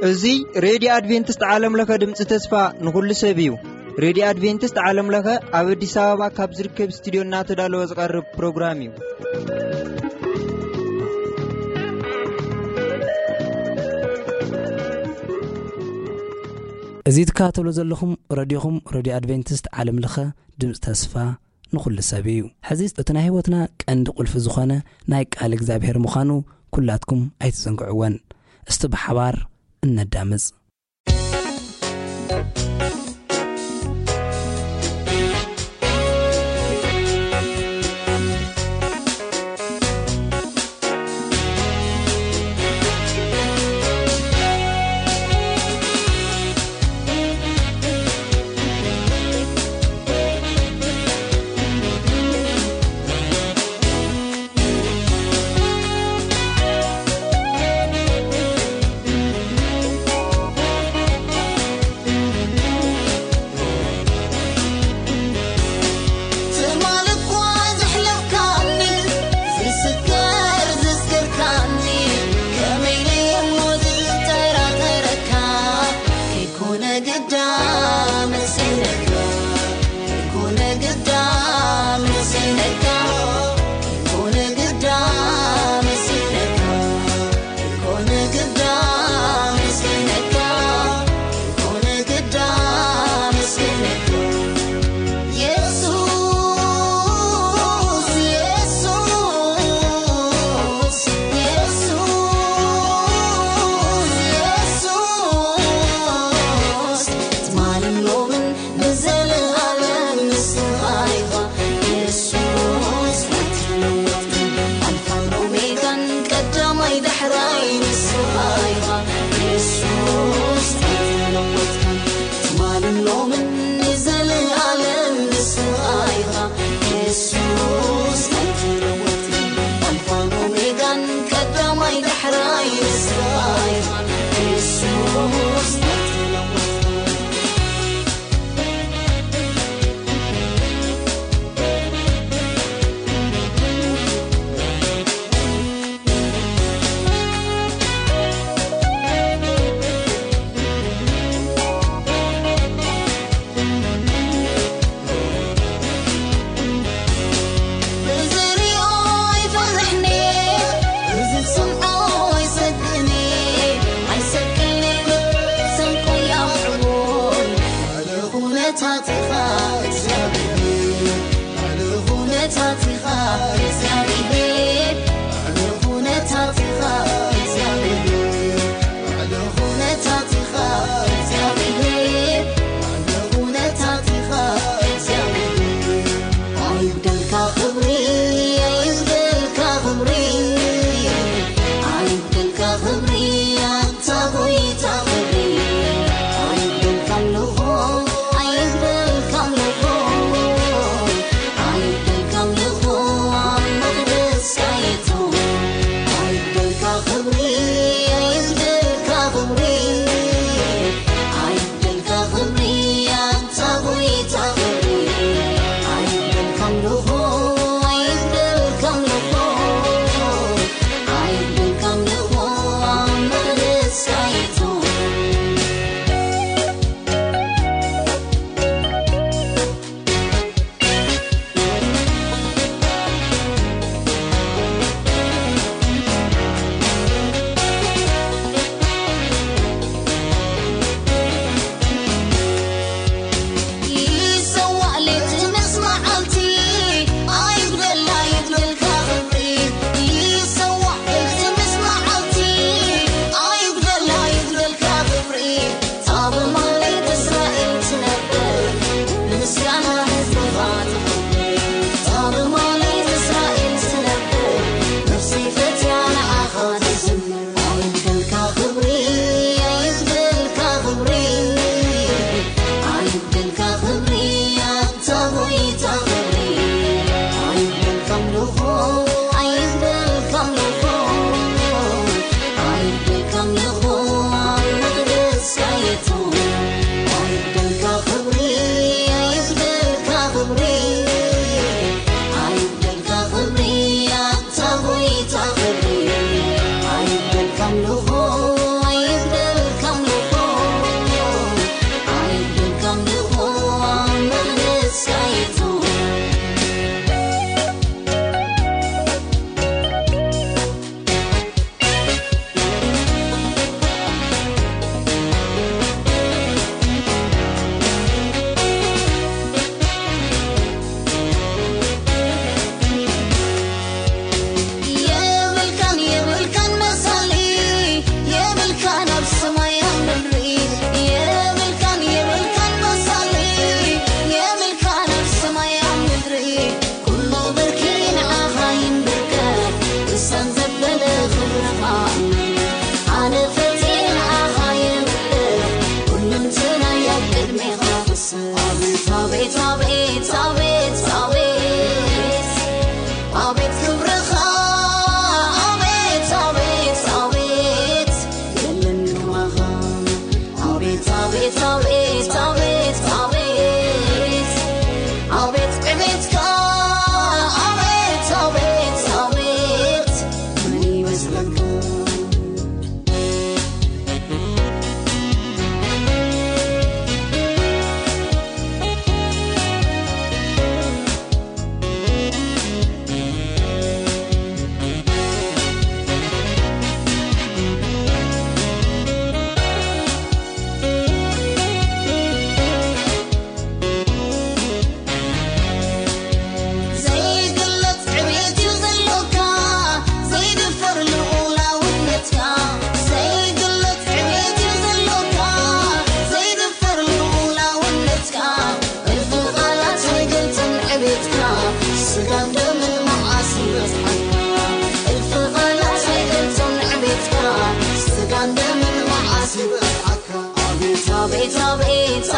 እዚ ሬድዮ ኣድቬንቲስት ዓለም ለኸ ድምፂ ተስፋ ንኹሉ ሰብ እዩ። ሬድዮ ኣድቬንቲስት ዓለም ለኸ ኣብ ኣዲስ ኣበባ ካብ ዝርከብ ስቱዲዮ እናተዳለወ ዝቐርብ ፕሮግራም እዩ። እዚ ትከታተሉ ዘለኹም ረድዮኹም፣ ረድዮ ኣድቬንቲስት ዓለም ለኸ ድምፂ ተስፋ ንኹሉ ሰብ እዩ። ሕዚ እቲ ናይ ህይወትና ቀንዲ ቁልፊ ዝኾነ ናይ ቃል እግዚኣብሔር ምዃኑ ኩላትኩም ኣይትዘንግዕወን። እስቲ ብሓባር እነዳምፅ። ትማል እኳ ዘሕለፍካኒ፣ ዝስከር ዘስከርካኒ፣ ከመይ ኢለ እሞ ዝጠራጠረካ? ከይኮነ ግዳ መሲለካ፣ ከይኮነ ግዳ መሲለካ፣ ከይኮነ ግዳ መሲለካ። ኮነ ግዳ ምስኪነካ፣ ኮነ ግዳ ምስኪነካ። የሱስ፣ የሱስ፣ የሱስ፣ የሱስ፣ ትማልን ሎምን ንዘለኣለም ንስኻ ኢኻ የሱስ ኣይትለወጥን። ኣልፋን ኦሜጋን ቀዳማይ ዳሕራይ ንስኻ ኢኻ የሱስ ኣይትለወጥን። ትማልን ሎምን ንዘለኣለም ንስኻ ኢኻ የሱስ ኣይትለወጥን። ኣልፋን ኦሜጋን ቀዳማይ ዳሕራይ ንስኻ ኢኻ የሱስ ኣይትለወጥን። ብዝሪኦ ይፈርሕኒ፣ ብዝሰምዖ ይሰግእኒ፣ ኣይሰቅኒ ሰንቆ ያዕቡን። ኩነታትኻ እግዚኣብሔር፣ ልዕሊ ኩነታትኻ እግዚኣብሔር፣ ልዕሊ ኩነታትኻ እግዚኣብሔር፣ ልዕሊ ኩነታትኻ እግዚኣብሔር፣ ልዕሊ ኩነታትኻ እግዚኣብሔር። ኣይጉደልካ ክብሪ፣ ኣይጉደልካ ክብሪ፣ ኣይጉደልካ ክብሪ፣ ኣንታ ጎይታ ክብሪ። ኣይጉደልካ ኣምልኾ፣ ኣይጉደልካ ኣምልኾ፣ ኣይጉደልካ ኣምልኾ ኣብ መቕደስ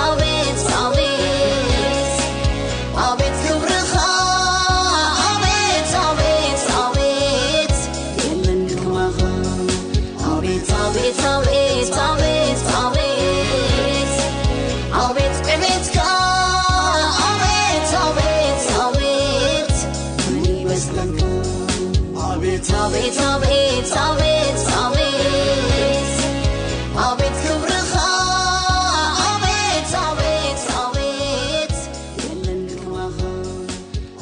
ኣቤት ኣቤት ኣቤት ክብርኻ ኣቤት ኣቤት ኣቤት የለን ከማኻ። ኣቤት ኣቤት ኣቤት ኣቤት ኣቤት ኣቤት ዕቤትካ ኣቤት ኣቤት ኣቤት ምን ይመስለካ። ኣቤት ኣቤት ኣቤት ኣቤት ኣቤት ኣቤት ክብርኻ ኣቤት ኣቤት ኣቤት የለን ከማኻ።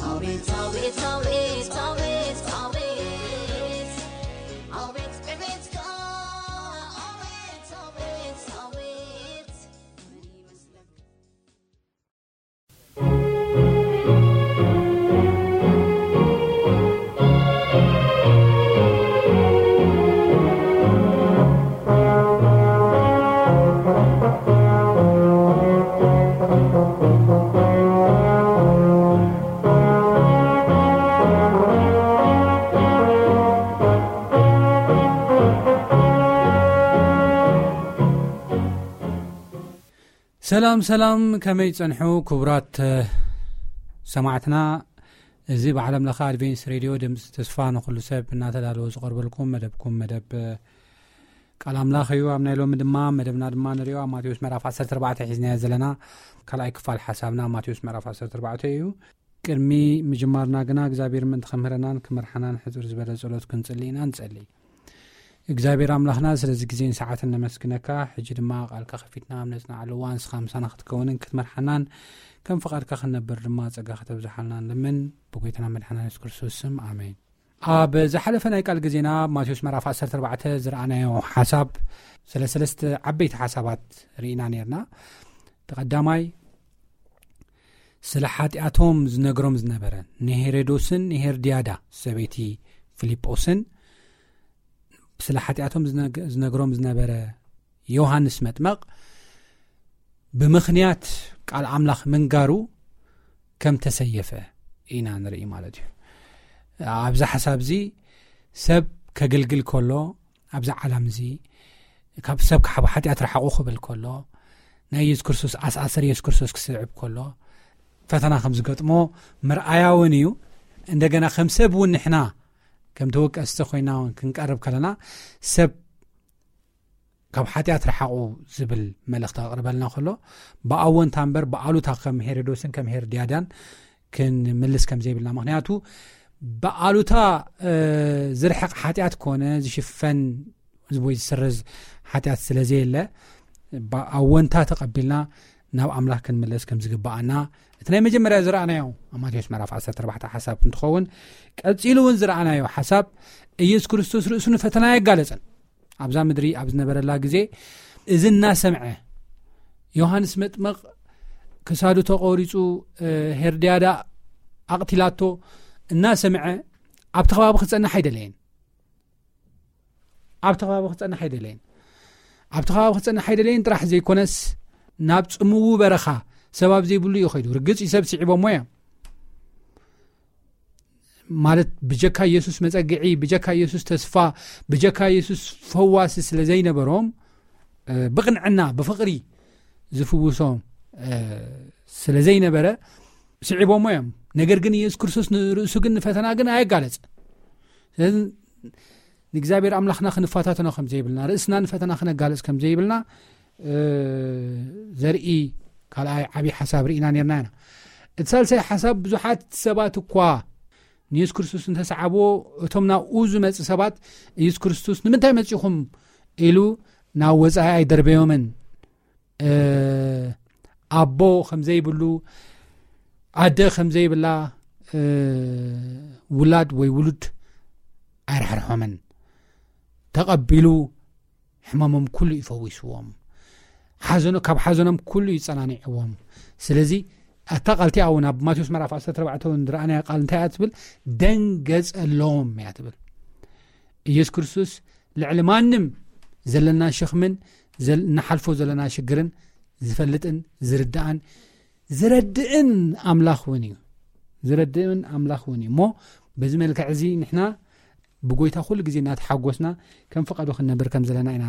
ኣቤት ኣቤት ኣቤት ኣቤት ኣቤት ኣቤት ዕቤትካ ኣቤት ኣቤት ኣቤት ምን ይመስለካ። ሰላም ሰላም፣ ከመይ ጸንሑ ክቡራት ሰማዕትና? እዚ ብዓለም ለኸ ኣድቬንስ ሬድዮ ድምፂ ተስፋ ንኹሉ ሰብ እናተዳለወ ዝቐርበልኩም መደብኩም መደብ ቃል ኣምላኽ እዩ። ኣብ ናይ ሎሚ ድማ መደብና ድማ ንሪኦ ኣብ ማቴዎስ ምዕራፍ ዓሰርተ ኣርባዕተ ሒዝናዮ ዘለና ካልኣይ ክፋል ሓሳብና ኣብ ማቴዎስ ምዕራፍ ዓሰርተ ኣርባዕተ እዩ። ቅድሚ ምጅማርና ግና እግዚኣብሔር ምእንቲ ከምህረናን ክመርሓናን ሕፅር ዝበለ ጸሎት ክንጽሊ ኢና። ንጸሊ። እግዚኣብሔር ኣምላኽና ስለዚ ግዜን ሰዓትን ነመስግነካ። ሕጂ ድማ ቃልካ ከፊትና ኣብ ነጽናዓሉ እዋን ንስኻ ምሳና ክትከውንን ክትመርሓናን ከም ፍቓድካ ክንነብር ድማ ጸጋ ከተብዝሓልና ንልምን። ብጎይታና መድሓና የሱስ ክርስቶስ ስም ኣሜን። ኣብ ዝሓለፈ ናይ ቃል ግዜና ኣብ ማቴዎስ ምዕራፍ ዓሰርተ ኣርባዕተ ዝረኣናዮ ሓሳብ ስለ ሰለስተ ዓበይቲ ሓሳባት ርኢና ነርና። እቲ ቀዳማይ ስለ ሓጢኣቶም ዝነግሮም ዝነበረ ንሄሮዶስን ንሄርድያዳ ሰበይቲ ፊልጶስን ስለ ሓጢኣቶም ዝነግ- ዝነግሮም ዝነበረ ዮሃንስ መጥመቕ ብምኽንያት ቃል ኣምላኽ ምንጋሩ ከም ተሰየፈ ኢና ንርኢ ማለት እዩ። ኣብዚ ሓሳብ እዚ ሰብ ከገልግል ከሎ ኣብዚ ዓለም እዚ ካብ ሰብ ካብ ሓጢኣት ርሓቑ ክብል ከሎ ናይ የሱስ ክርስቶስ ኣስኣሰር የሱስ ክርስቶስ ክስዕብ ከሎ ፈተና ከም ዝገጥሞ ምርኣያ እውን እዩ። እንደገና ከም ሰብ እውን ንሕና ከም ተወቀስቲ ኮይና እውን ክንቀርብ ከለና ሰብ ካብ ሓጢኣት ርሓቑ ዝብል መልእኽቲ ከቕርበልና ከሎ ብኣወንታ እምበር ብኣሉታ ከም ሄሮዶስን ከም ሄርድያዳን ክንምልስ ከም ዘይብልና። ምኽንያቱ ብኣሉታ ዝርሕቕ ሓጢኣት ኮነ ዝሽፈን ወይ ዝስረዝ ሓጢኣት ስለ ዘየለ ብኣወንታ ተቐቢልና ናብ ኣምላኽ ክንምለስ ከም ዝግብኣና እቲ ናይ መጀመርያ ዝረኣናዮ ኣብ ማቴዎስ ምዕራፍ ዓሰርተ ኣርባዕተ ሓሳብ እንትኸውን ቀጺሉ እውን ዝረኣናዮ ሓሳብ ኢየሱስ ክርስቶስ ርእሱ ንፈተና የጋለጸን ኣብዛ ምድሪ ኣብ ዝነበረላ ግዜ እዚ እናሰምዐ ዮሃንስ መጥመቕ ክሳዱ ተቖሪጹ ሄርድያዳ ኣቕቲላቶ እናሰምዐ ኣብቲ ከባቢ ክጸንሕ ኣይደለየን። ኣብቲ ከባቢ ክጸንሕ ኣይደለየን። ኣብቲ ከባቢ ክጸንሕ ኣይደለየን ጥራሕ ዘይኮነስ ናብ ጽምዉ በረኻ ሰብ ኣብ ዘይብሉ እዩ ከይዱ። ርግጽ እዩ ሰብ ስዒቦሞ እዮም ማለት ብጀካ ኢየሱስ መጸግዒ፣ ብጀካ ኢየሱስ ተስፋ፣ ብጀካ ኢየሱስ ፈዋሲ ስለ ዘይነበሮም ብቕንዕና ብፍቕሪ ዝፍውሶም ስለ ዘይነበረ ስዒቦሞ እዮም። ነገር ግን ኢየሱስ ክርስቶስ ንርእሱ ግን ንፈተና ግን ኣየጋለጸ። ስለዚ ንእግዚኣብሔር ኣምላኽና ክንፈታተኖ ከም ዘይብልና ርእስና ንፈተና ክነጋልጽ ከም ዘይብልና ዘርኢ ካልኣይ ዓብዪ ሓሳብ ርኢና ነርና ኢና። እቲ ሳልሳይ ሓሳብ ብዙሓት ሰባት እኳ ንየሱስ ክርስቶስ እንተሰዓብዎ እቶም ናብኡ ዝመፁ ሰባት ኢየሱስ ክርስቶስ ንምንታይ መፂኹም ኢሉ ናብ ወፃኢ ኣይደርበዮምን። ኣቦ ከም ዘይብሉ ኣደ ከም ዘይብላ ውላድ ወይ ውሉድ ኣይራሕርሖምን። ተቐቢሉ ሕማሞም ኩሉ ይፈዊስዎም። ሓዘኖ ካብ ሓዘኖም ኩሉ ይጸናንዕዎም። ስለዚ ኣታ ቃልቲ እውን ኣብ ማቴዎስ ምዕራፍ ዓሰርተ ኣርባዕተ እውን ዝረኣናያ ቃል እንታይ እያ ትብል? ደንገጸሎም እያ ትብል። ኢየሱስ ክርስቶስ ልዕሊ ማንም ዘለና ሸኽምን ዘል- እንሓልፎ ዘለና ሽግርን ዝፈልጥን ዝርዳእን ዝረድእን ኣምላኽ እውን እዩ። ዝረድእን ኣምላኽ እውን እዩ እሞ በዚ መልክዕ እዚ ንሕና ብጎይታ ኩሉ ግዜ እናተሓጎስና ከም ፍቓዱ ክንነብር ከም ዘለና ኢና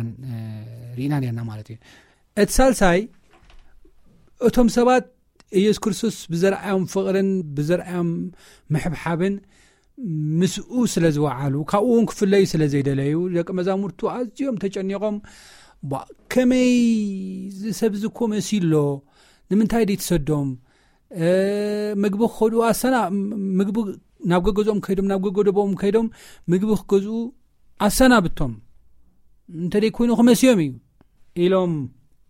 ርኢና ነርና ማለት እዩ። እቲ ሳልሳይ እቶም ሰባት ኢየሱስ ክርስቶስ ብዘርኣዮም ፍቕርን ብዘርኣዮም ምሕብሓብን ምስኡ ስለ ዝወዓሉ፣ ካብኡ እውን ክፍለዩ ስለ ዘይደለዩ፣ ደቂ መዛሙርቱ ኣዝዮም ተጨኒቖም፣ "ባ፣ ከመይ እዚ ሰብ እዚ እኮ መሲሎ? ንምንታይ ደይ ትሰዶም? እ፣ ምግቢ ክኸዱ ኣሰና-፣ ምግቢ ናብ ገገዝኦም ከይዶም፣ ናብ ገገደቦም ከይዶም ምግቢ ክገዝኡ ኣሰናብቶም፣ እንተ ደይ ኮይኑ ክመስዮም እዩ" ኢሎም፣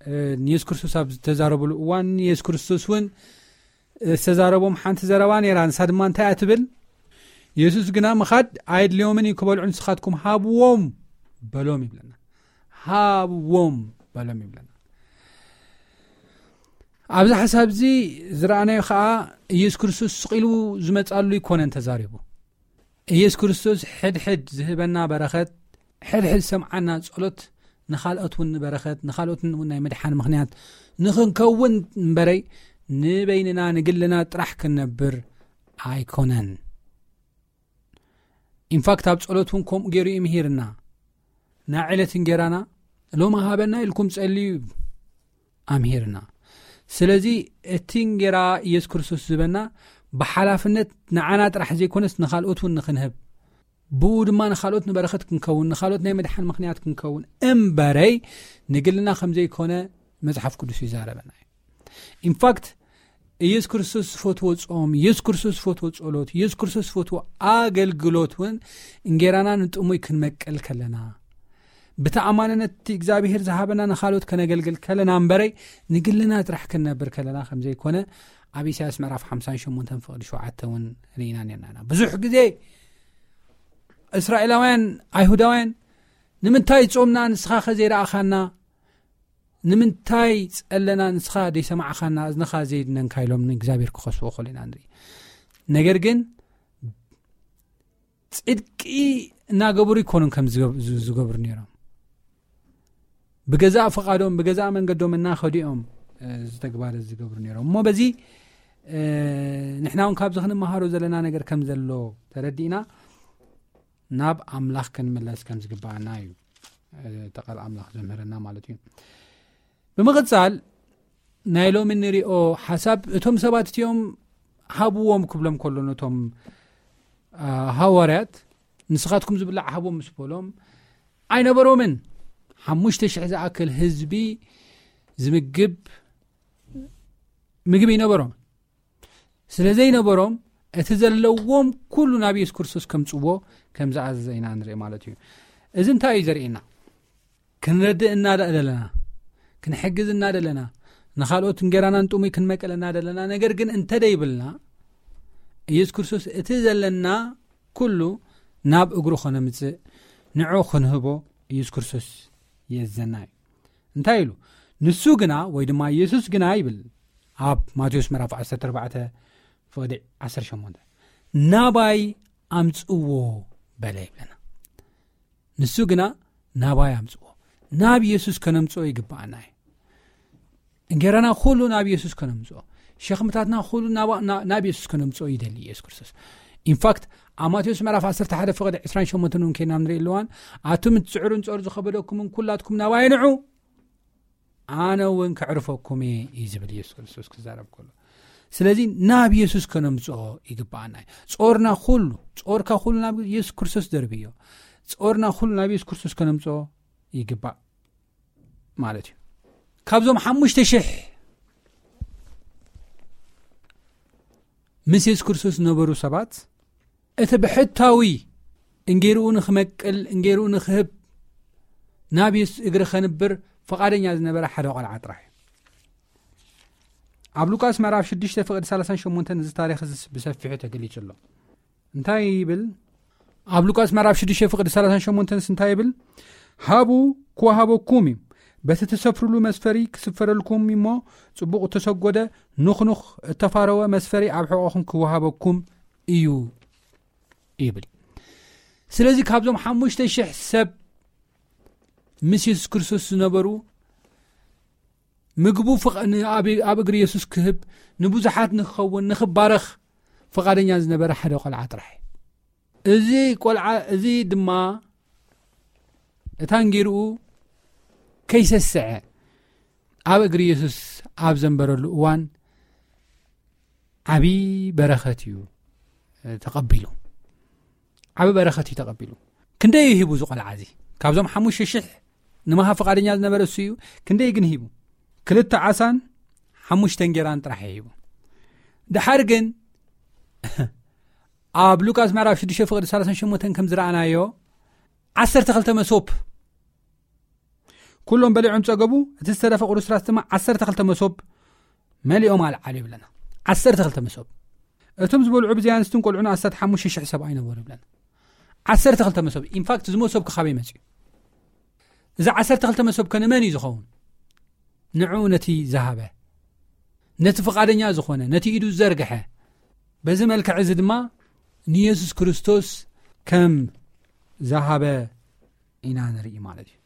እ፣ ንየሱስ ክርስቶስ ኣብ ዝተዛረብሉ እዋን፣ የሱስ ክርስቶስ እውን ዝተዛረቦም ሓንቲ ዘረባ ነይራ። ንሳ ድማ እንታይ እያ ትብል? "የሱስ ግና ምኻድ ኣየድልዮምን እዩ፣ ክበልዑ ንስኻትኩም ሃብዎም" በሎም ይብለና። "ሃብዎም" በሎም ይብለና። ኣብዚ ሓሳብ እዚ ዝረኣናዮ ኸኣ፣ ኢየሱስ ክርስቶስ ስቕ ኢሉ ዝመጻሉ ኣይኮነን ተዛሪቡ። ኢየሱስ ክርስቶስ ሕድሕድ ዝህበና በረኸት፣ ሕድሕድ ዝሰምዓና ጸሎት፣ ንኻልኦት እውን ንበረኸት፣ ንኻልኦት እውን ናይ ምድሓን ምኽንያት ንኽንከውን እምበረይ፣ ንበይንና ንግልና ጥራሕ ክንነብር ኣይኮነን። ኢንፋክት፣ ኣብ ጸሎት እውን ከምኡ ገይሩ እዩ ምሂርና። "ናይ ዕለት እንጌራና ሎሚ ሃበና" ኢልኩም ጸልዩ ኣምሂርና። ስለዚ እቲ እንጌራ ኢየሱስ ክርስቶስ ዝህበና ብሓላፍነት ንዓና ጥራሕ ዘይኮነስ ንኻልኦት እውን ንኽንህብ፣ ብኡ ድማ ንኻልኦት ንበረኸት ክንከውን፣ ንኻልኦት ናይ ምድሓን ምኽንያት ክንከውን እምበረይ፣ ንግልና ከም ዘይኮነ መጽሓፍ ቅዱስ ይዛረበና እዩ። ኢንፋክት፣ ኢየሱስ ክርስቶስ ዝፈትዎ ጾም፣ ኢየሱስ ክርስቶስ ዝፈትዎ ጸሎት፣ ኢየሱስ ክርስቶስ ዝፈትዎ ኣገልግሎት እውን እንጌራና ንጥሙይ ክንመቅል ከለና፣ ብተኣማንነት እቲ እግዚኣብሔር ዝሃበና ንኻልኦት ከነገልግል ከለና እምበረይ፣ ንግልና ጥራሕ ክንነብር ከለና ከም ዘይኮነ ኣብ ኢሳያስ ምዕራፍ ሓምሳን ሸሞንተን ፍቕዲ ሸውዓተ እውን ርኢና ነርና ኢና። ብዙሕ ግዜ እስራኤላውያን፣ ኣይሁዳውያን፣ "ንምንታይ ጾምና ንስኻ ከ ዘይረኣኻና? ንምንታይ ጸለና ንስኻ ዘይሰማዕኻና? እዝንኻ ዘይድነንካ?" ኢሎም ንእግዚኣብሔር ክኸስዎ ከሎ ኢና ንርኢ። ነገር ግን ጽድቂ እናገበሩ ይኮኑን ከም ዝገብ-፣ ዝ-፣ ዝገብሩ ነይሮም። ብገዛእ ፍቓዶም፣ ብገዛእ መንገዶም እናኸዱ እዮም፣ እ፣ እዚ ተግባር እዚ ዝገብሩ ነይሮም። እሞ በዚ፣ እ፣ ንሕና እውን ካብዚ ክንመሃሮ ዘለና ነገር ከም ዘሎ ተረዲእና ናብ ኣምላኽ ክንምለስ ከም ዝግባኣና እዩ፣ እ፣ እቲ ቃል ኣምላኽ ዘምህረና ማለት እዩ። ብምቕጻል ናይ ሎሚ ንሪኦ ሓሳብ፣ እቶም ሰባት እቲኦም ሃብዎም ክብሎም ከሎ ነቶም፣ እ፣ ሃዋርያት፣ "ንስኻትኩም ዝብላዕ ሃቦም" ምስ በሎም ኣይነበሮምን። ሓሙሽተ ሽሕ ዝኣክል ህዝቢ ዝምግብ ምግቢ ይነበሮም። ስለ ዘይነበሮም፣ እቲ ዘለዎም ኩሉ ናብ የሱስ ክርስቶስ ከምጽዎ ከም ዝኣዘዘ ኢና ንርኢ ማለት እዩ። እዚ እንታይ እዩ ዘርእየና? ክንረድእ እናደለና፣ ክንሕግዝ እናደለና፣ ንኻልኦት እንጌራና ንጥሙይ ክንመቅል እናደለና፣ ነገር ግን እንተ ደይብልና፣ ኢየሱስ ክርስቶስ እቲ ዘለና ኩሉ ናብ እግሩ ኸነምጽእ፣ ንዑ ክንህቦ ኢየሱስ ክርስቶስ የዘና እዩ። እንታይ ኢሉ? ንሱ ግና፣ ወይ ድማ ኢየሱስ ግና ይብል ኣብ ማቴዎስ ምዕራፍ ዓሰርተ ኣርባዕተ ፍቕዲ ዓሰርተ ሸሞንተ፣ "ናባይ ኣምጽዎ" በለ ይብለና። ንሱ ግና፣ "ናባይ ኣምጽዎ።" ናብ ኢየሱስ ከነምጽኦ ይግብኣና እዩ። እንጌራና ኩሉ ናብ ኢየሱስ ከነምጽኦ፣ ሸኽምታትና ኩሉ ናባ-፣ ና-፣ ናብ ኢየሱስ ከነምጽኦ ይደሊ ኢየሱስ ክርስቶስ። ኢንፋክት፣ ኣብ ማቴዎስ ምዕራፍ ዓሰርተ ሓደ ፍቕዲ ዕስራን ሸሞንተን እውን ከይና ንርኢ ኣለዋን፣ "ኣቱም እትጽዕሩን ጾር ዝኸበደኩምን ኩላትኩም ናባይ ንዑ፣ ኣነ እውን ከዕርፈኩም እየ" እዩ ዝብል ኢየሱስ ክርስቶስ ክዛረብ ከሎ። ስለዚ ናብ ኢየሱስ ከነምጽኦ ይግብኣና እዩ። ጾርና ኩሉ፣ ጾርካ ኩሉ ናብ ኢየሱስ ክርስቶስ ደርብዮ። ጾርና ኩሉ ናብ ኢየሱስ ክርስቶስ ከነምጽኦ ይግባእ ማለት እዩ። ካብዞም ሓሙሽተ ሽሕ ምስ የሱስ ክርስቶስ ዝነበሩ ሰባት፣ እቲ ብሕታዊ እንጌርኡ ንኽመቅል፣ እንጌርኡ ንኽህብ፣ ናብ የሱስ እግሪ ኸንብር ፍቓደኛ ዝነበረ ሓደ ቖልዓ ጥራሕ እዩ። ኣብ ሉቃስ ምዕራፍ ሽዱሽተ ፍቕዲ ሰላሳን ሸሞንተን እዚ ታሪኽ እዚ ብሰፊሑ ተገሊጹ ኣሎ። እንታይ ይብል? ኣብ ሉቃስ ምዕራፍ ሽዱሽተ ፍቕዲ ሰላሳን ሸሞንተንስ እንታይ ይብል? "ሃቡ ክወሃበኩም እዩ፣ በቲ ትሰፍርሉ መስፈሪ ክስፈረልኩም እሞ፣ ጽቡቕ እተሰጎደ፣ ኑኽኑኽ እተፋረወ መስፈሪ ኣብ ሕቖኹም ክወሃበኩም እዩ" ይብል። ስለዚ ካብዞም ሓሙሽተ ሽሕ ሰብ ምስ የሱስ ክርስቶስ ዝነበሩ፣ ምግቡ ፍቕ-፣ ን-፣ ኣብ፣ ኣብ እግሪ የሱስ ክህብ፣ ንብዙሓት ንክኸውን፣ ንክባረኽ ፍቓደኛ ዝነበረ ሓደ ቆልዓ ጥራሕ እዩ። እዚ ቆልዓ እዚ ድማ እታ እንጌርኡ ከይሰስዐ ኣብ እግሪ የሱስ ኣብ ዘንበረሉ እዋን ዓቢ በረኸት እዩ ተቐቢሉ። ዓቢ በረኸት እዩ ተቐቢሉ። ክንደይ ሂቡ ዝቆልዓ እዚ? ካብዞም ሓሙሽተ ሽሕ ንመሃብ ፍቓደኛ ዝነበረ እሱ እዩ። ክንደይ ግን ሂቡ? ክልተ ዓሳን ሓሙሽተ እንጌራን ጥራሕ እዩ ሂቡ። ድሓር ግን ኣብ ሉቃስ ምዕራፍ ሽዱሽተ ፍቕዲ ሰላሳን ሸሞንተን ከም ዝረኣናዮ ዓሰርተ ክልተ መሶብ ኩሎም በሊዖም ጸገቡ። እቲ ዝተረፈ ቁርስራስ ድማ ዓሰርተ ክልተ መሶብ መሊኦም ኣልዓሉ ይብለና። ዓሰርተ ክልተ መሶብ። እቶም ዝበልዑ ብዘይ ኣንስትን ቆልዑን ኣስታት ሓሙሽተ ሽሕ ሰብ ኣይነበሩ ይብለና። ዓሰርተ ክልተ መሶብ። ኢንፋክት እዚ መሶብ ክኻበይ መጽኡ? እዚ ዓሰርተ ክልተ መሶብ ከ ንመን እዩ ዝኸውን? ንዕኡ ነቲ ዝሃበ፣ ነቲ ፍቓደኛ ዝኾነ፣ ነቲ ኢዱ ዝዘርግሐ። በዚ መልክዕ እዚ ድማ ንየሱስ ክርስቶስ ከም ዝሃበ ኢና ንርኢ ማለት እዩ።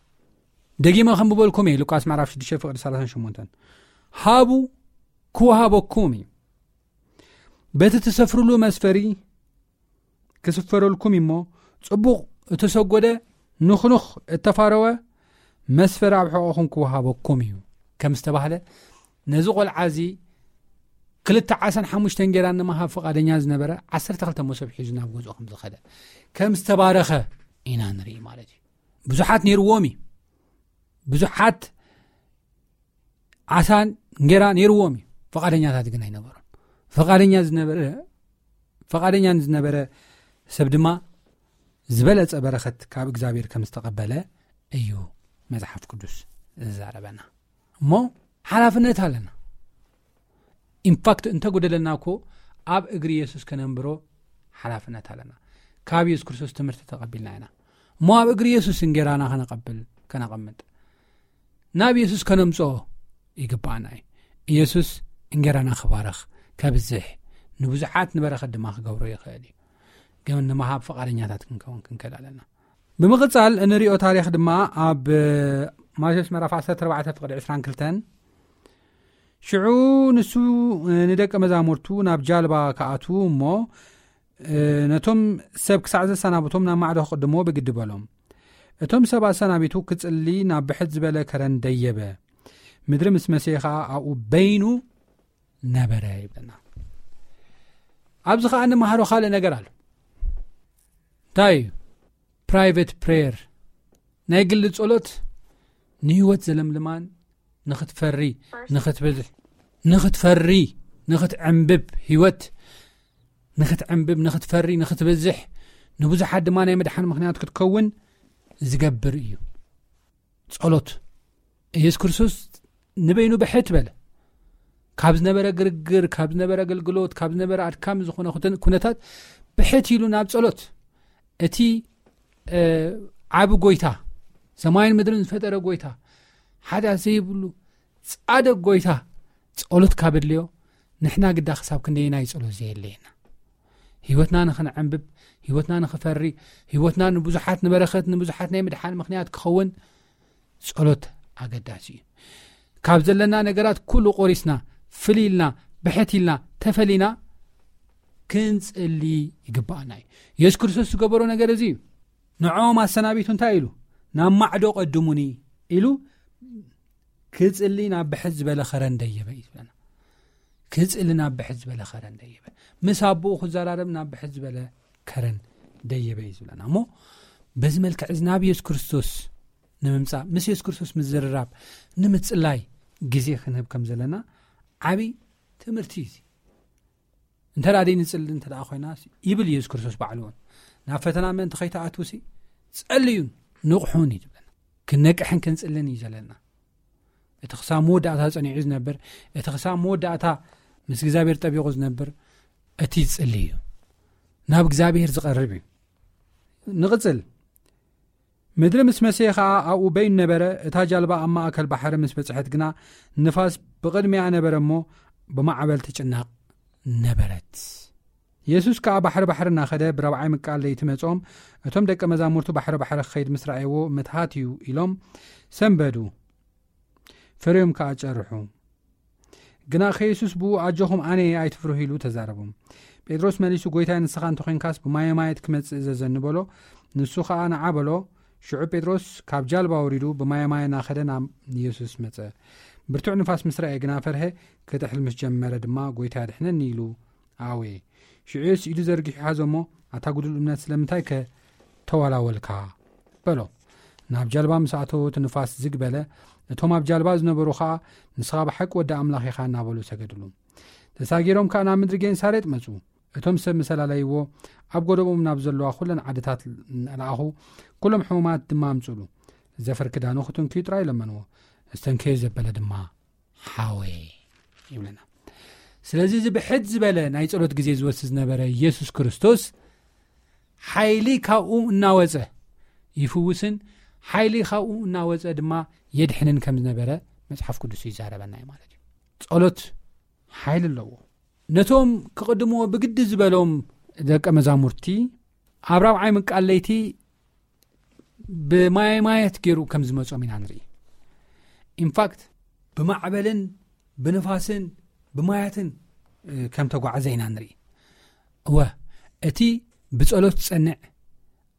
ደጊመ ከም ብበልኩም እየ፣ ሉቃስ ምዕራፍ ሽዱሽተ ፍቕዲ ሰላሳን ሸሞንተን፣ ሃቡ ክወሃበኩም እዩ፣ በቲ ትሰፍርሉ መስፈሪ ክስፈረልኩም እሞ፣ ጽቡቕ እተሰጎደ ንኹኑኽ እተፋረወ መስፈሪ ኣብ ሕቖኹም ክወሃበኩም እዩ ከም ዝተባህለ፣ ነዚ ቆልዓ እዚ ክልተ ዓሳን ሓሙሽተ እንጌራን ንምሃብ ፍቓደኛ ዝነበረ ዓሰርተ ክልተ መሶብ ሒዙ ናብ ገዝኡ ከም ዝኸደ፣ ከም ዝተባረኸ ኢና ንርኢ ማለት እዩ። ብዙሓት ነይርዎም እዩ። ብዙሓት ዓሳን እንጌራ ነይርዎም እዩ። ፍቓደኛታት ግን ኣይነበሩን። ፍቓደኛ ዝነበረ፣ ፍቓደኛ ዝነበረ ሰብ ድማ ዝበለጸ በረኸት ካብ እግዚኣብሔር ከም ዝተቐበለ እዩ መጽሓፍ ቅዱስ ዝዛረበና። እሞ ሓላፍነት ኣለና። ኢንፋክት እንተጎደለና እኮ ኣብ እግሪ የሱስ ከነንብሮ ሓላፍነት ኣለና። ካብ የሱስ ክርስቶስ ትምህርቲ ተቐቢልና ኢና። እሞ ኣብ እግሪ የሱስ እንጌራና ከነቐብል፣ ከነቐምጥ፣ ናብ የሱስ ከነምጽኦ ይግባኣና እዩ። ኢየሱስ እንጌራና ክባርኽ፣ ከብዝሕ፣ ንብዙሓት ንበረኸት ድማ ክገብሮ ይኽእል እዩ። ግን ንምሃብ ፍቓደኛታት ክንከውን ክንክእል ኣለና። ብምቕጻል እንሪኦ ታሪኽ ድማ ኣብ ማቴዎስ ምዕራፍ ዓሰርተ ኣርባዕተ ፍቕዲ ዕስራን ክልተን፣ ሽዑ ንሱ ንደቀ መዛሙርቱ ናብ ጃልባ ክኣትዉ እሞ፣ ነቶም ሰብ ክሳዕ ዘሰናብቶም ናብ ማዕዶ ክቕድሞ ብግዲ በሎም። እቶም ሰብ ኣሰናቢቱ ክጽሊ ናብ ብሕት ዝበለ ከረን ደየበ። ምድሪ ምስ መሰየ ኸኣ ኣብኡ በይኑ ነበረ ይብለና። ኣብዚ ኸኣ እንመሃሮ ካልእ ነገር ኣሎ። እንታይ እዩ? ፕራይቬት ፕሬየር፣ ናይ ግሊ ጸሎት ንህይወት ዘለምልማን ንኽትፈሪ፣ ንኽትበዝሕ፣ ንኽትፈሪ፣ ንኽትዕንብብ፣ ህይወት ንኽትዕንብብ፣ ንኽትፈሪ፣ ንኽትበዝሕ፣ ንብዙሓት ድማ ናይ ምድሓን ምኽንያት ክትከውን ዝገብር እዩ። ጸሎት። ኢየሱስ ክርስቶስ ንበይኑ ብሕት በለ። ካብ ዝነበረ ግርግር፣ ካብ ዝነበረ ኣገልግሎት፣ ካብ ዝነበረ ኣድካሚ ዝኾነ ኩተ-፣ ኩነታት ብሕት ኢሉ ናብ ጸሎት። እቲ፣ እ፣ ዓቢ ጎይታ፣ ሰማይን ምድርን ዝፈጠረ ጎይታ፣ ሓጢኣት ዘይብሉ ጻድቕ ጎይታ ጸሎት ካብ ኣድልዮ፣ ንሕና ግዳ ክሳብ ክንደየናይ ጸሎት ዘየድልየና? ህይወትና ንኽንዕንብብ፣ ህይወትና ንኽፈሪ፣ ህይወትና ንብዙሓት ንበረኸት፣ ንብዙሓት ናይ ምድሓን ምኽንያት ክኸውን ጸሎት ኣገዳሲ እዩ። ካብ ዘለና ነገራት ኩሉ ቆሪስና፣ ፍልይ ኢልና፣ ብሕት ኢልና፣ ተፈሊና ክንጽሊ ይግባኣና እዩ። የሱስ ክርስቶስ ዝገበሮ ነገር እዚ እዩ። ንዕኦም ኣሰናቢቱ እንታይ ኢሉ? "ናብ ማዕዶ ቀድሙኒ" ኢሉ ክጽሊ ናብ ብሕት ዝበለ ኸረን ደየበ እዩ ዝብለና። ክጽሊ ናብ ብሕት ዝበለ ኸረን ደየበ። ምስ ኣቦኡ ክዘራረብ ናብ ብሕት ዝበለ ከረን ደየበ እዩ ዝብለና። እሞ በዚ መልክዕ እዚ ናብ የሱስ ክርስቶስ ንምምጻእ፣ ምስ የሱስ ክርስቶስ ምዝርራብ፣ ንምጽላይ ግዜ ክንህብ ከም ዘለና ዓቢ ትምህርቲ እዩ እዚ። እንተ ደኣ ደይንጽሊ እንተ ደኣ ኮይና ይብል የሱስ ክርስቶስ ባዕሉ እውን፣ "ናብ ፈተና ምእንቲ ከይትኣትዉሲ ጸልዩን ንቕሑን" እዩ ዝብለና። ክንነቅሕን ክንጽልን እዩ ዘለና። እቲ ክሳብ መወዳእታ ጸኒዑ ዝነብር፣ እቲ ክሳብ መወዳእታ ምስ እግዚኣብሔር ጠቢቑ ዝነብር፣ እቲ ዝጽሊ እዩ። ናብ እግዚኣብሔር ዝቐርብ እዩ። ንቕጽል። ምድሪ ምስ መሰየ ኸኣ ኣብኡ በይኑ ነበረ። እታ ጃልባ ኣብ ማእከል ባሕሪ ምስ በጽሐት ግና፣ ንፋስ ብቕድሚኣ ነበረ እሞ፣ ብማዕበል ትጭነቕ ነበረት። የሱስ ከኣ ባሕሪ ባሕሪ እናኸደ፣ ብራብዓይ ምቃል ለይቲ መጾም። እቶም ደቀ መዛሙርቱ ባሕሪ ባሕሪ ክኸይድ ምስ ረኣይዎ፣ "ምትሃት እዩ" ኢሎም ሰንበዱ። ፈርዮም ከኣ ጨርሑ። ግና ከየሱስ ብኡ፣ "ኣጆኹም፣ ኣነ እየ፣ ኣይትፍርሁ" ኢሉ ተዛረቦም። ጴጥሮስ መሊሱ፣ "ጐይታይ፣ ንስኻ እንተ ኾይንካስ፣ ብማየ ማየት ክመጽእ እዘዘኒ" በሎ። ንሱ ኸኣ ንዓ በሎ። ሽዑ ጴጥሮስ ካብ ጃልባ ወሪዱ፣ ብማየ ማየ እናኸደ ናብ የሱስ መጸ። ብርቱዕ ንፋስ ምስ ረኣየ ግና ፈርሀ። ክጥሕል ምስ ጀመረ ድማ፣ "ጎይታ ኣድሕነኒ" ኢሉ ኣወየ። ሽዑስ ኢዱ ዘርጊሑ ሓዞ እሞ፣ "ኣታ ጉዱል እምነት፣ ስለምንታይ ከ ተዋላወልካ?" በሎ። ናብ ጃልባ ምስ ኣተወ፣ እቲ ንፋስ ዝግ በለ። እቶም ኣብ ጃልባ ዝነበሩ ኸኣ፣ "ንስኻ ብሓቂ ወዲ ኣምላኽ ኢኻ" እናበሉ ሰገድሉ። ተሳጊሮም ከኣ ናብ ምድሪ ጌንሳሬጥ መጹ። እቶም ሰብ ምስ ኣላለይዎ፣ ኣብ ጎደቦም ናብ ዘለዋ ኩለን ዓድታት ለኣኹ፣ ኩሎም ሕሙማት ድማ ኣምጽሉ። ዘፈር ክዳኑ ክትንክዩ ጥራይ ለመንዎ። ዝተንከየ ዘበለ ድማ ሓወየ ይብለና። ስለዚ እዚ ብሕድ ዝበለ ናይ ጸሎት ግዜ ዝወስድ ዝነበረ ኢየሱስ ክርስቶስ፣ ሓይሊ ካብኡ እናወጸ ይፍውስን ሓይሊ ካብኡ እናወጸ ድማ የድሕንን ከም ዝነበረ መጽሓፍ ቅዱስ ይዛረበና እዩ ማለት እዩ። ጸሎት ሓይሊ ኣለዎ። ነቶም ክቕድምዎ ብግዲ ዝበሎም ደቀ መዛሙርቲ፣ ኣብ ራብዓይ ምቃል ለይቲ ብማየ ማየት ገይሩ ከም ዝመጾም ኢና ንርኢ። ኢንፋክት፣ ብማዕበልን ብንፋስን ብማያትን፣ እ፣ ከም ተጓዓዘ ኢና ንርኢ። እወ፣ እቲ ብጸሎት ዝጸንዕ፣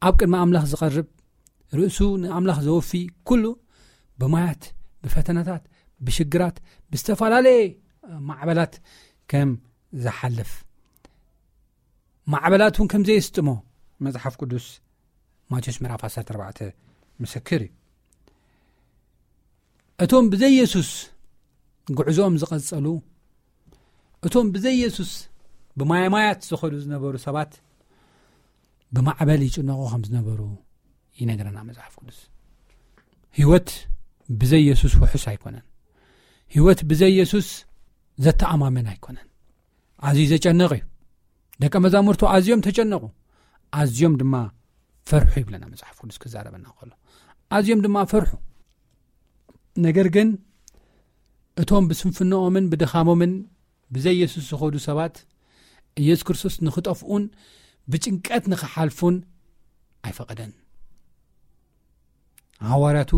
ኣብ ቅድሚ ኣምላኽ ዝቐርብ፣ ርእሱ ንኣምላኽ ዘወፊ፣ ኩሉ ብማያት፣ ብፈተናታት፣ ብሽግራት፣ ብዝተፈላለየ ማዕበላት ከም ዝሓልፍ፣ ማዕበላት እውን ከም ዘየስጥሞ መጽሓፍ ቅዱስ ማቴዎስ ምዕራፍ ዓሰርተ ኣርባዕተ ምስክር እዩ። እቶም ብዘይ የሱስ ጉዕዞኦም ዝቐጸሉ፣ እቶም ብዘይ የሱስ ብማየ ማያት ዝኸዱ ዝነበሩ ሰባት ብማዕበል ይጭነቑ ከም ዝነበሩ ይነግረና መጽሓፍ ቅዱስ። ህይወት ብዘይ የሱስ ውሑስ ኣይኮነን። ህይወት ብዘይ የሱስ ዘተኣማምን ኣይኮነን። ኣዝዩ ዘጨንቕ እዩ። ደቀ መዛሙርቱ ኣዝዮም ተጨነቑ፣ ኣዝዮም ድማ ፈርሑ ይብለና መጽሓፍ ቅዱስ ክዛረበና ከሎ። ኣዝዮም ድማ ፈርሑ። ነገር ግን እቶም ብስንፍናኦምን ብድኻሞምን ብዘይ የሱስ ዝኸዱ ሰባት፣ ኢየሱስ ክርስቶስ ንኽጠፍኡን ብጭንቀት ንኽሓልፉን ኣይፈቐደን። ሃዋርያቱ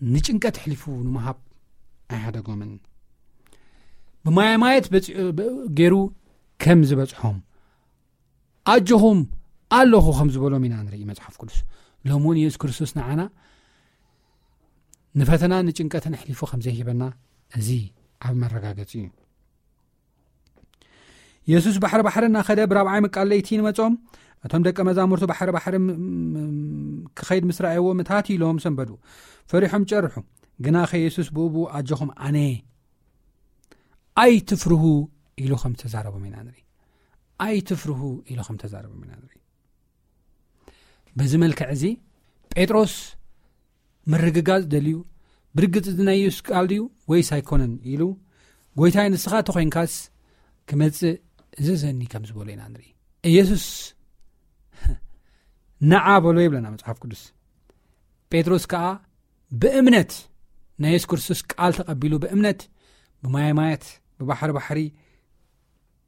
ንጭንቀት ኣሕሊፉ ንምሃብ ኣይሓደጎምን። ብማየ ማየት በጺ-፣ ብ-፣ ገይሩ ከም ዝበጽሖም፣ "ኣጆኹም ኣለኹ" ከም ዝበሎም ኢና ንርኢ መጽሓፍ ቅዱስ። ሎሚ እውን ኢየሱስ ክርስቶስ ንዓና ንፈተና ንጭንቀትን ኣሕሊፉ ከም ዘይህበና እዚ ዓቢ መረጋገጺ እዩ። የሱስ ባሕሪ ባሕሪ እናኸደ ብራብዓይ ምቃል ለይቲ ንመጾም። እቶም ደቀ መዛሙርቱ ባሕሪ ባሕሪ ም-፣ ም-፣ ክኸይድ ምስ ረኣይዎ፣ ምታት ኢሎም ሰንበዱ። ፈሪሖም ጨርሑ። ግናኸ የሱስ ብኡ ብኡ፣ "ኣጆኹም ኣነ፣ ኣይትፍርሁ" ኢሉ ከም ዝተዛረቦም ኢና ንርኢ። "ኣይትፍርሁ" ኢሉ ከም ተዛረቦም ኢና ንርኢ። በዚ መልክዕ እዚ ጴጥሮስ ምርግጋጽ ደልዩ፣ "ብርግጽ እዚ ናይ የሱስ ቃል ድዩ ወይስ ኣይኮነን?" ኢሉ፣ "ጎይታይ፣ ንስኻ ተኾይንካስ ክመጽእ እዘዘኒ" ከም ዝበሎ ኢና ንርኢ። ኢየሱስ "ንዓ" በሎ ይብለና መጽሓፍ ቅዱስ። ጴጥሮስ ከኣ ብእምነት ናይ የሱስ ክርስቶስ ቃል ተቐቢሉ፣ ብእምነት ብማየ ማያት፣ ብባሕሪ ባሕሪ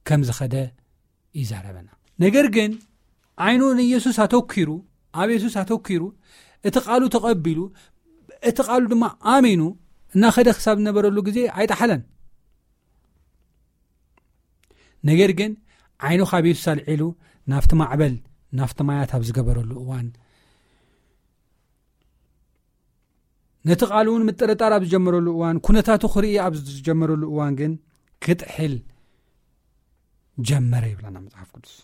ከም ዝኸደ ይዛረበና። ነገር ግን ዓይኑ ንኢየሱስ ኣተኪሩ፣ ኣብ የሱስ ኣተኪሩ፣ እቲ ቃሉ ተቐቢሉ፣ እቲ ቃሉ ድማ ኣሚኑ እናኸደ ክሳብ ዝነበረሉ ግዜ ኣይጠሓለን። ነገር ግን ዓይኑ ካብ የሱስ ኣልዒሉ ናብቲ ማዕበል፣ ናብቲ ማያት ኣብ ዝገበረሉ እዋን፣ ነቲ ቃሉ እውን ምጥርጣር ኣብ ዝጀመረሉ እዋን፣ ኩነታቱ ክርኢ ኣብ ዝጀመረሉ እዋን ግን ክጥሕል ጀመረ ይብለና መጽሓፍ ቅዱስ።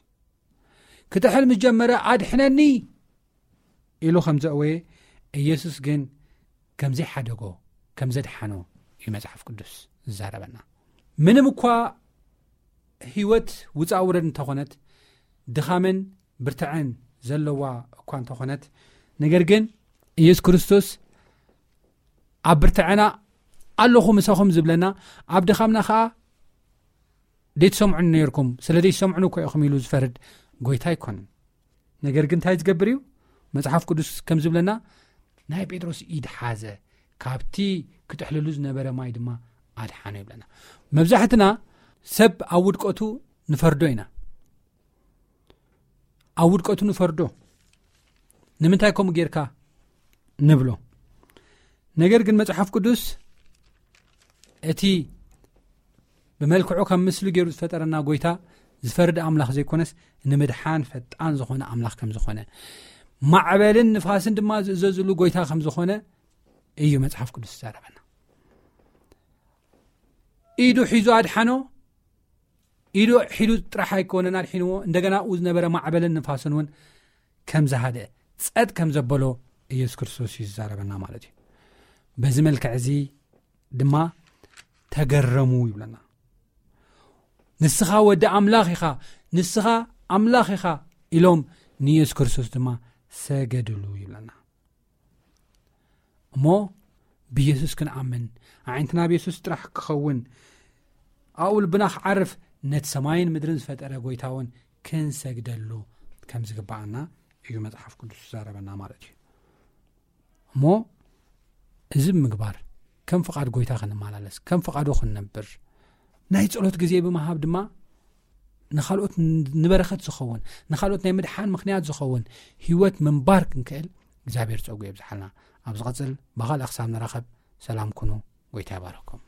ክጥሕል ምስ ጀመረ፣ "ኣድሕነኒ" ኢሉ ከም ዘእወየ፣ ኢየሱስ ግን ከም ዘይሓደጎ፣ ከም ዘድሓኖ እዩ መጽሓፍ ቅዱስ ዝዛረበና። ምንም እኳ ህይወት ውጻእ ውረድ እንተኾነት፣ ድኻምን ብርትዐን ዘለዋ እኳ እንተኾነት፣ ነገር ግን ኢየሱስ ክርስቶስ ኣብ ብርትዐና ኣለኹ ምሳኹም ዝብለና፣ ኣብ ድኻምና ኸኣ "ደይትሰምዑኒ ነይርኩም፣ ስለ ደይትሰምዑኒ እኮ ኢኹም" ኢሉ ዝፈርድ ጎይታ ኣይኮነን። ነገር ግን እንታይ ዝገብር እዩ? መጽሓፍ ቅዱስ ከም ዝብለና፣ ናይ ጴጥሮስ ኢድ ሓዘ፣ ካብቲ ክጥሕልሉ ዝነበረ ማይ ድማ ኣድሓኖ ይብለና። መብዛሕትና ሰብ ኣብ ውድቀቱ ንፈርዶ ኢና። ኣብ ውድቀቱ ንፈርዶ። "ንምንታይ ከምኡ ጌርካ?" ንብሎ። ነገር ግን መጽሓፍ ቅዱስ እቲ ብመልክዑ ከም ምስሊ ገይሩ ዝፈጠረና ጎይታ ዝፈርድ ኣምላኽ ዘይኮነስ፣ ንምድሓን ፈጣን ዝኾነ ኣምላኽ ከም ዝኾነ፣ ማዕበልን ንፋስን ድማ ዝእዘዝሉ ጎይታ ከም ዝኾነ እዩ መጽሓፍ ቅዱስ ዝዛረበና። ኢዱ ሒዙ ኣድሓኖ። ኢዱ ሒዱ ጥራሕ ኣይኮነን ኣድሒንዎ፣ እንደገና ኣብኡ ዝነበረ ማዕበልን ንፋስን እውን ከም ዝሃደ፣ ጸጥ ከም ዘበሎ ኢየሱስ ክርስቶስ እዩ ዝዛረበና ማለት እዩ። በዚ መልክዕ እዚ ድማ ተገረሙ ይብለና። "ንስኻ ወዲ ኣምላኽ ኢኻ፣ ንስኻ ኣምላኽ ኢኻ" ኢሎም ንኢየሱስ ክርስቶስ ድማ ሰገድሉ ይብለና። እሞ ብኢየሱስ ክንኣምን፣ ኣዒንትና ኣብ ኢየሱስ ጥራሕ ክኸውን፣ ኣብኡ ልብና ክዓርፍ፣ ነቲ ሰማይን ምድርን ዝፈጠረ ጎይታ እውን ክንሰግደሉ ከም ዝግብኣና እዩ መጽሓፍ ቅዱስ ዝዛረበና ማለት እዩ። እሞ እዚ ብምግባር ከም ፍቓድ ጎይታ ክንመላለስ፣ ከም ፍቓዱ ክንነብር፣ ናይ ጸሎት ግዜ ብምሃብ ድማ ንኻልኦት ን-፣ ንበረኸት ዝኸውን፣ ንኻልኦት ናይ ምድሓን ምኽንያት ዝኸውን ህይወት ምንባር ክንክእል እግዚኣብሔር ጸጉ የብዝሓልና። ኣብ ዝቐጽል ብኻልእ ክሳብ ንራኸብ ሰላም ኩኑ። ጎይታ ይባረኩም።